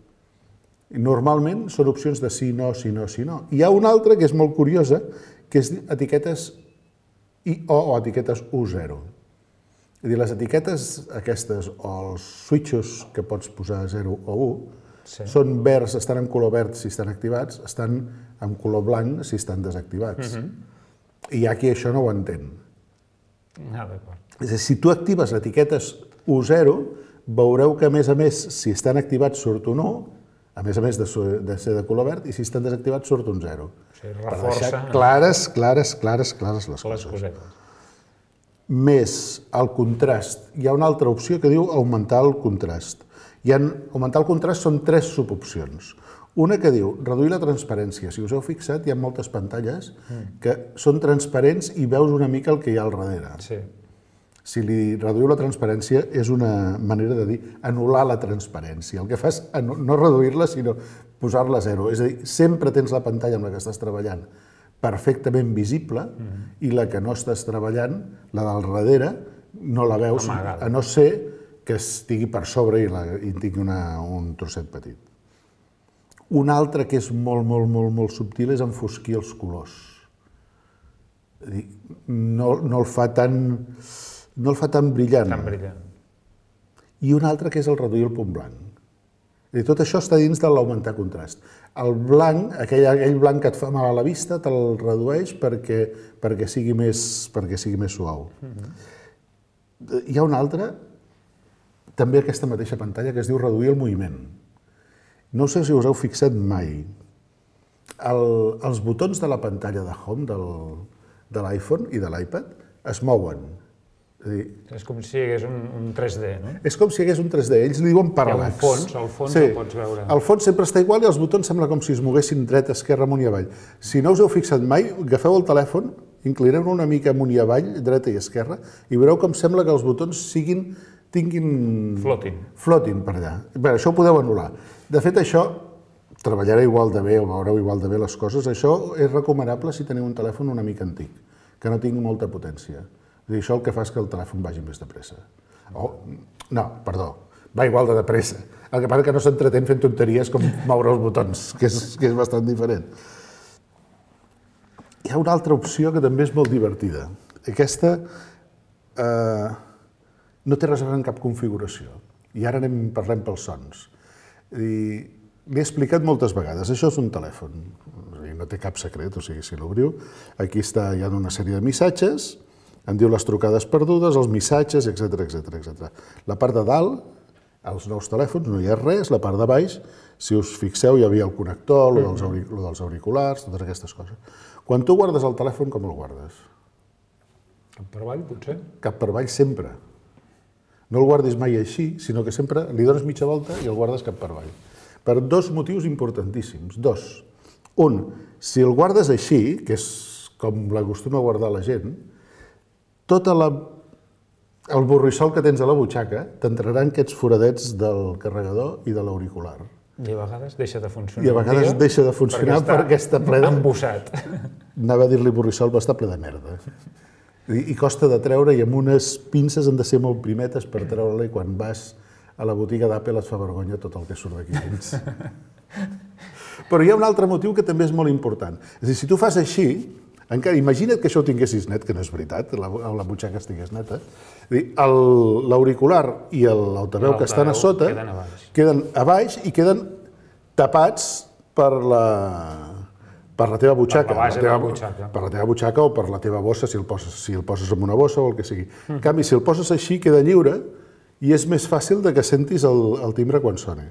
Normalment són opcions de sí, no, sí, no, sí, no. Hi ha una altra que és molt curiosa, que és etiquetes I-O o etiquetes U0. És a dir, les etiquetes aquestes o els switches que pots posar 0 o 1 són verds, estan en color verd si estan activats, estan en color blanc si estan desactivats. I hi ha qui això no ho entén. És a dir, si tu actives etiquetes U0, veureu que, a més, si estan activats surt un 1, a més de ser de color verd, i si estan desactivats surt un 0. O sigui, reforça... Clares les coses. Més el contrast. Hi ha una altra opció que diu augmentar el contrast. Augmentar el contrast són 3 subopcions. Una que diu reduir la transparència. Si us heu fixat, hi ha moltes pantalles que són transparents i veus una mica el que hi ha al darrere. Si li reduïu la transparència és una manera de dir anul·lar la transparència. El que fa és no reduir-la, sinó posar-la a 0. És a dir, sempre tens la pantalla amb la que estàs treballant perfectament visible i la que no estàs treballant, la del darrere, no la veus, a no ser que estigui per sobre i tingui un trosset petit. Una altra que és molt subtil és enfosquir els colors. És a dir, no el fa tan brillant. I una altra que és el reduir el punt blanc. I tot això està dins de l'augmentar contrast. El blanc, aquell blanc que et fa mal a la vista, te'l redueix perquè sigui més suau. Hi ha una altra, també aquesta mateixa pantalla, que es diu reduir el moviment. No sé si us heu fixat mai. Els botons de la pantalla de Home de l'iPhone i de l'iPad es mouen. És com si hi hagués un 3D, no? És com si hi hagués un 3D, ells li diuen parallax. Hi ha un fons, el pots veure. El fons sempre està igual i els botons sembla com si es moguessin dret, esquerra, amunt i avall. Si no us heu fixat mai, agafeu el telèfon, inclineu-lo una mica amunt i avall, dreta i esquerra, i veureu com sembla que els botons tinguin... Flotin per allà. Bé, això ho podeu anul·lar. De fet, això treballarà igual de bé o veureu igual de bé les coses. Això és recomanable si teniu un telèfon una mica antic, que no tingui molta potència. I això el que fa és que el telèfon vagi més de pressa. No, perdó, va igual de pressa. El que passa que no s'entretén fent tonteries com moure els botons, que és bastant diferent. Hi ha una altra opció que també és molt divertida. Aquesta no té res a veure amb cap configuració. I ara parlem pels sons. L'he explicat moltes vegades. Això és un telèfon. No té cap secret, o sigui, si l'obriu, aquí hi ha una sèrie de missatges, em diu les trucades perdudes, els missatges, etc. La part de dalt, als nous telèfons, no hi ha res. La part de baix, si us fixeu, hi havia el connector, el dels auriculars, totes aquestes coses. Quan tu guardes el telèfon, com el guardes? Cap per avall, potser? Cap per avall, sempre. No el guardis mai així, sinó que sempre li dones mitja volta i el guardes cap per avall. Per 2 motius importantíssims. 2. Un, si el guardes així, que és com l'acostuma a guardar la gent, tot el borrissol que tens a la butxaca t'entraran aquests foradets del carregador i de l'auricular. I a vegades deixa de funcionar. I a vegades deixa de funcionar perquè està ple de... Embossat. Anava a dir-li borrissol, però està ple de merda. I costa de treure, i amb unes pinces han de ser molt primetes per treure-la, i quan vas a la botiga d'Apple et fa vergonya tot el que surt d'aquí dins. Però hi ha un altre motiu que també és molt important. És a dir, si tu fas així, Encara, imagina't que això ho tinguessis net, que no és veritat, la butxaca estigués neta. L'auricular i l'altaveu que estan a sota queden a baix i queden tapats per la teva butxaca. Per la teva butxaca o per la teva bossa, si el poses en una bossa o el que sigui. En canvi, si el poses així, queda lliure i és més fàcil que sentis el timbre quan soni.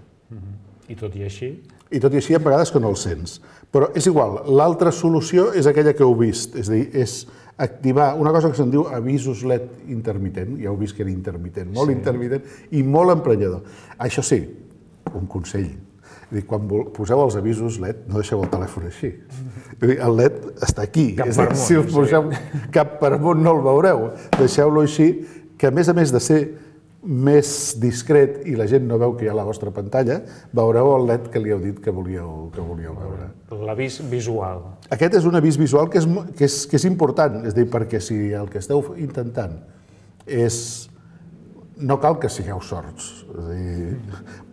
I tot i així? I tot i així, a vegades que no el sents. Però és igual, l'altra solució és aquella que heu vist, és a dir, és activar una cosa que se'n diu avisos LED intermitent, ja heu vist que era intermitent, molt intermitent i molt emprenyador. Això sí, un consell, quan poseu els avisos LED, no deixeu el telèfon així. El LED està aquí, si us poseu cap per amunt no el veureu, deixeu-lo així, que a més de ser més discret i la gent no veu que hi ha la vostra pantalla, veureu el LED que li heu dit que volíeu veure. L'avís visual. Aquest és un avís visual que és important, és a dir, perquè si el que esteu intentant és... no cal que sigueu sords, és a dir,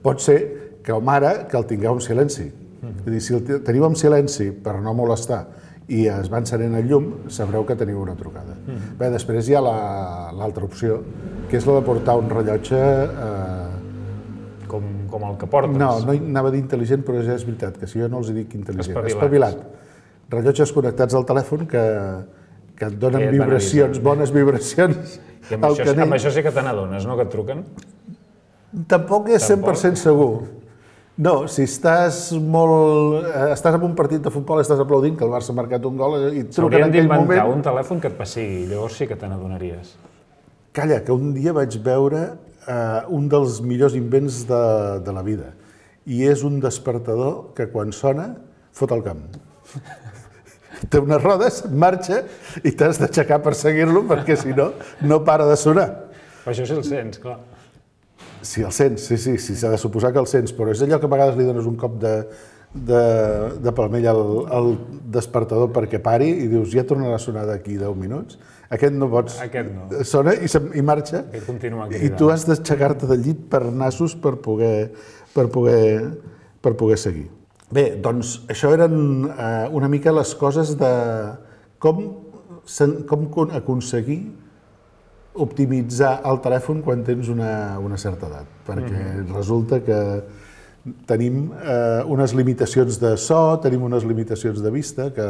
pot ser que ara que el tingueu en silenci. És a dir, si el teniu en silenci per no molestar i es va encenent el llum, sabreu que teniu una trucada. Bé, després hi ha l'altra opció, que és la de portar un rellotge... Com el que portes? No anava a dir intel·ligent, però ja és veritat, que si jo no els dic intel·ligent. Espavilat. Rellotges connectats al telèfon que et donen vibracions, bones vibracions. I amb això sí que te n'adones, no?, que et truquen? Tampoc és 100% segur. No, si estàs en un partit de futbol i estàs aplaudint que el Barça ha marcat un gol i et truquen en aquell moment... S'haurien d'inventar un telèfon que et pessigui, llavors sí que te n'adonaries. Calla, que un dia vaig veure un dels millors invents de la vida i és un despertador que quan sona fot el camp. Té unes rodes, marxa i t'has d'aixecar per seguir-lo perquè si no, no para de sonar. Però això sí el sents, clar. Sí, el sents, sí, s'ha de suposar que el sents, però és allò que a vegades li dones un cop de palmell al despertador perquè pari i dius, ja tornarà a sonar d'aquí 10 minuts. Aquest no pots... Aquest no. Sona i marxa. Aquest continua cridant. I tu has d'aixecar-te del llit per nassos per poder seguir. Bé, doncs això eren una mica les coses de com aconseguir optimitzar el telèfon quan tens una certa edat, perquè resulta que tenim unes limitacions de so, tenim unes limitacions de vista, que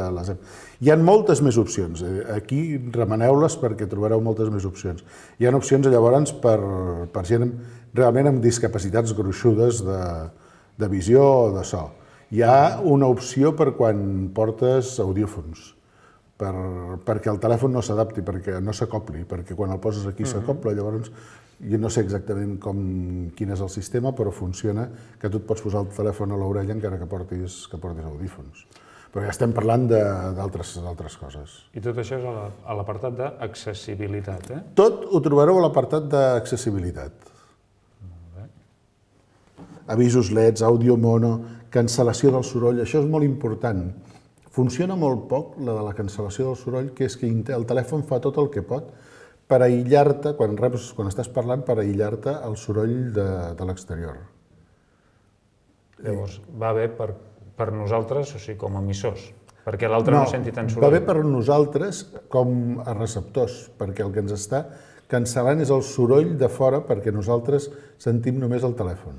hi ha moltes més opcions. Aquí remeneu-les perquè trobareu moltes més opcions. Hi ha opcions llavors per gent realment amb discapacitats gruixudes de visió o de so. Hi ha una opció per quan portes audiòfons, perquè el telèfon no s'adapti, perquè no s'acopli, perquè quan el poses aquí s'acopla, llavors jo no sé exactament quin és el sistema, però funciona que tu et pots posar el telèfon a l'orella encara que portis audífons. Però ja estem parlant d'altres coses. I tot això és a l'apartat d'accessibilitat, eh? Tot ho trobareu a l'apartat d'accessibilitat. Avisos LEDs, àudio mono, cancel·lació del soroll, això és molt important. Funciona molt poc la de la cancel·lació del soroll, que és que el telèfon fa tot el que pot per aïllar-te, quan estàs parlant, per aïllar-te el soroll de l'exterior. Llavors, va bé per nosaltres, o sigui, com a emissors, perquè l'altre no senti tant soroll. Va bé per nosaltres com a receptors, perquè el que ens està cancel·lant és el soroll de fora perquè nosaltres sentim només el telèfon.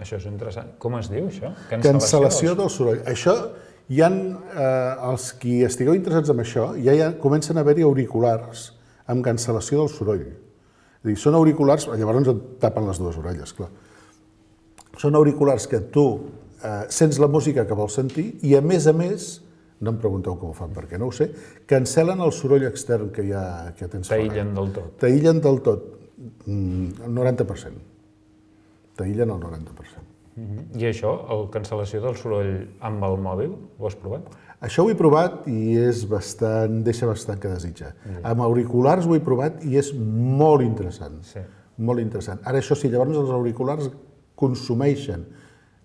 Això és interessant. Com es diu, això? Cancel·lació del soroll. Això, hi ha els qui estigueu interessats en això, ja comencen a haver-hi auriculars amb cancel·lació del soroll. És a dir, són auriculars, llavors et tapen les dues orelles, clar. Són auriculars que tu sents la música que vols sentir i, a més, no em pregunteu com ho fan perquè no ho sé, cancel·len el soroll extern que tens fora. T'aïllen del tot. T'aïllen del tot, el 90%. T'aïllen el 90%. I això, la cancel·lació del soroll amb el mòbil, ho has provat? Això ho he provat i deixa bastant que desitjar. Amb auriculars ho he provat i és molt interessant. Molt interessant. Ara, això sí, llavors els auriculars consumeixen.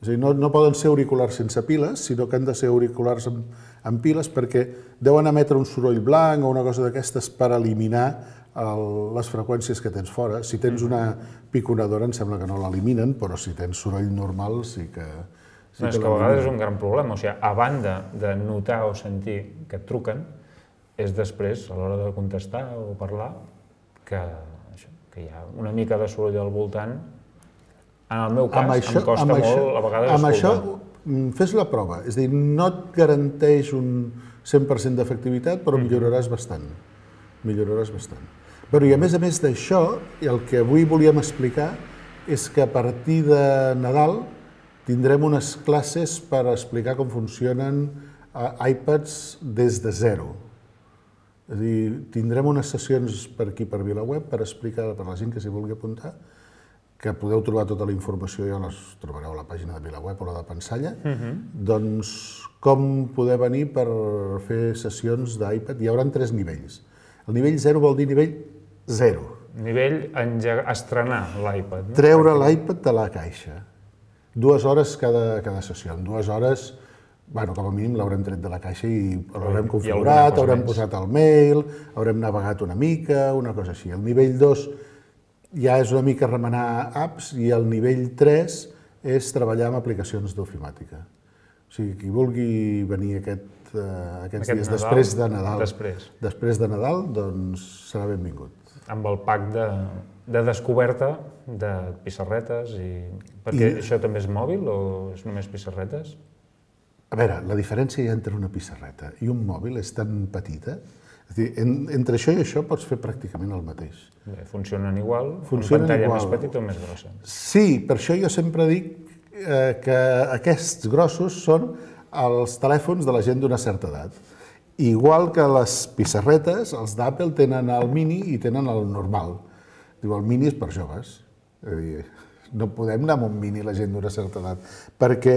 És a dir, no poden ser auriculars sense piles, sinó que han de ser auriculars amb piles perquè deuen emetre un soroll blanc o una cosa d'aquestes per eliminar les freqüències que tens fora. Si tens una piconadora em sembla que no l'eliminen, però si tens soroll normal sí És que a vegades és un gran problema. O sigui, a banda de notar o sentir que et truquen, és després, a l'hora de contestar o parlar, que hi ha una mica de soroll al voltant. En el meu cas, em costa molt, a vegades, escoltar. Amb això, fes la prova. És a dir, no et garanteix un 100% d'efectivitat, però milloraràs bastant. Milloraràs bastant. Però i a més d'això, el que avui volíem explicar és que a partir de Nadal tindrem unes classes per explicar com funcionen iPads des de zero. És a dir, tindrem unes sessions per aquí, per VilaWeb, per explicar per la gent que s'hi vulgui apuntar, que podeu trobar tota la informació, ja les trobareu a la pàgina de VilaWeb o la de Pensalla, doncs com poder venir per fer sessions d'iPad. Hi haurà 3 nivells. El nivell 0 vol dir nivell 0. Nivell estrenar l'iPad. Treure l'iPad de la caixa. 2 hores cada sessió. En 2 hores, com a mínim l'haurem tret de la caixa i l'haurem configurat, haurem posat el mail, haurem navegat una mica, una cosa així. El nivell 2 ja és una mica remenar apps i el nivell 3 és treballar amb aplicacions d'ofimàtica. O sigui, qui vulgui venir aquests dies després de Nadal, doncs serà benvingut. Amb el pack de descoberta de pissarretes, perquè això també és mòbil o és només pissarretes? A veure, la diferència hi ha entre una pissarreta i un mòbil és tan petita. És a dir, entre això i això pots fer pràcticament el mateix. Funcionen igual? Una pantalla més petita o més grossa? Sí, per això jo sempre dic que aquests grossos són els telèfons de la gent d'una certa edat. Igual que les pissarretes, els d'Apple tenen el mini i tenen el normal. Diu, el mini és per joves. És a dir, no podem anar amb un mini la gent d'una certa edat, perquè,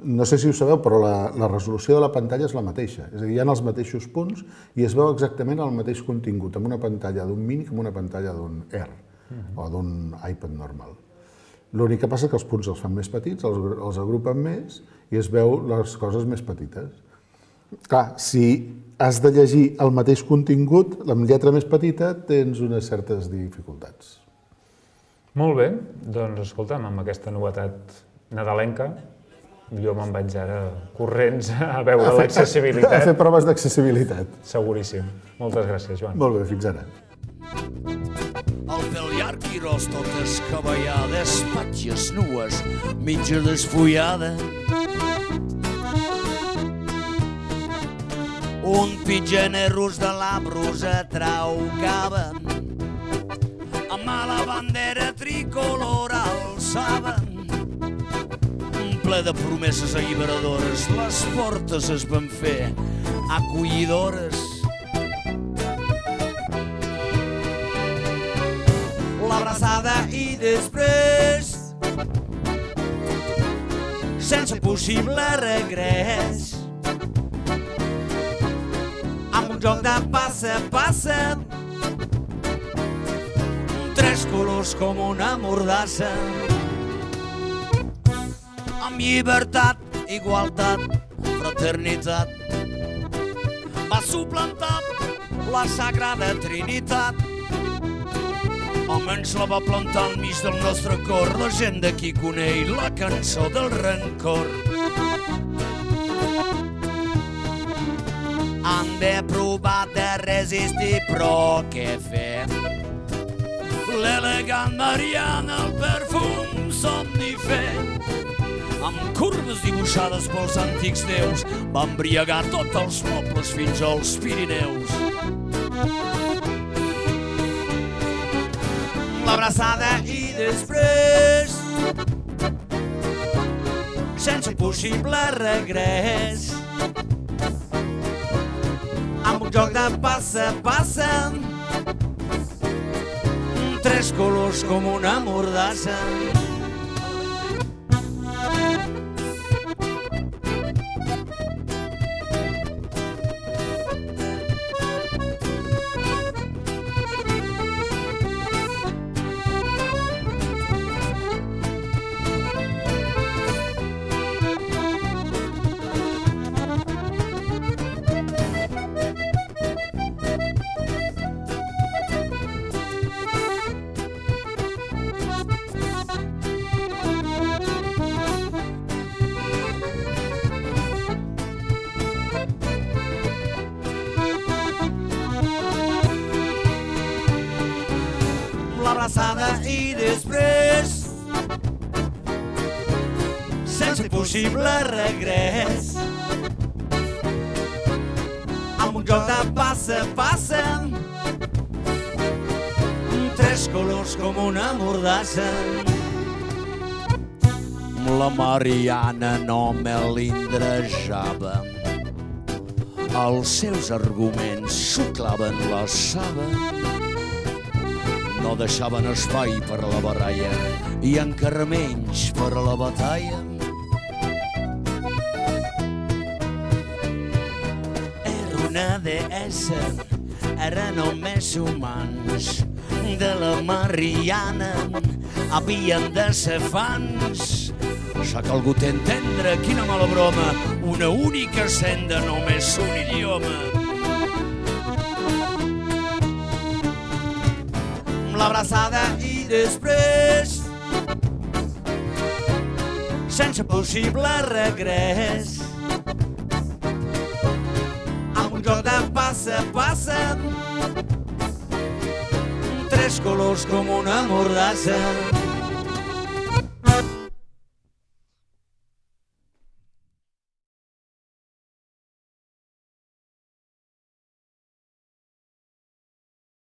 no sé si ho sabeu, però la resolució de la pantalla és la mateixa. És a dir, hi ha els mateixos punts i es veu exactament el mateix contingut amb una pantalla d'un mini que amb una pantalla d'un Air o d'un iPad normal. L'únic que passa és que els punts els fan més petits, els agrupen més i es veu les coses més petites. Clar, si has de llegir el mateix contingut, amb lletra més petita, tens unes certes dificultats. Molt bé, doncs escolta'm, amb aquesta novetat nadalenca, jo me'n vaig ara corrents a veure l'accessibilitat. A fer proves d'accessibilitat. Seguríssim. Moltes gràcies, Joan. Molt bé, fins ara. El pèl llarg i ros, totes cabellades, patges nues, mitja desfullada. Un pitgenerros de la brusa traucaven, amb la bandera tricolor alçaven. Ple de promeses alliberadores, les portes es van fer acollidores. L'abraçada i després, sense possible regrés, amb un joc de passa, tres colors com una mordassa, amb llibertat, igualtat, fraternitat, va suplantar la Sagrada Trinitat. Almenys la va plantar al mig del nostre cor, la gent d'aquí coneix la cançó del rancor. Han de provar de resistir, però què fer? L'elegant Mariana, el perfum somnífer, amb curves dibuixades pels antics déus, va embriagar tots els mobles fins als Pirineus. L'abraçada i després, sense possible regrés, amb un joc de passa, tres colors com una mordassa. l'abraçada i després, sense possible regrés, amb un joc de passa, tres colors com una mordassa. La Mariana no melindrejava, els seus arguments xuclaven la saba, no deixaven espai per a la baralla i encara menys per a la batalla. Era una deessa, era només humans, de la Mariana havien de ser fans. S'ha calgut entendre quina mala broma, una única senda, només un idioma. Amb l'abraçada i després, sense possible regrés, amb un joc de passa, tres colors com una mordassa.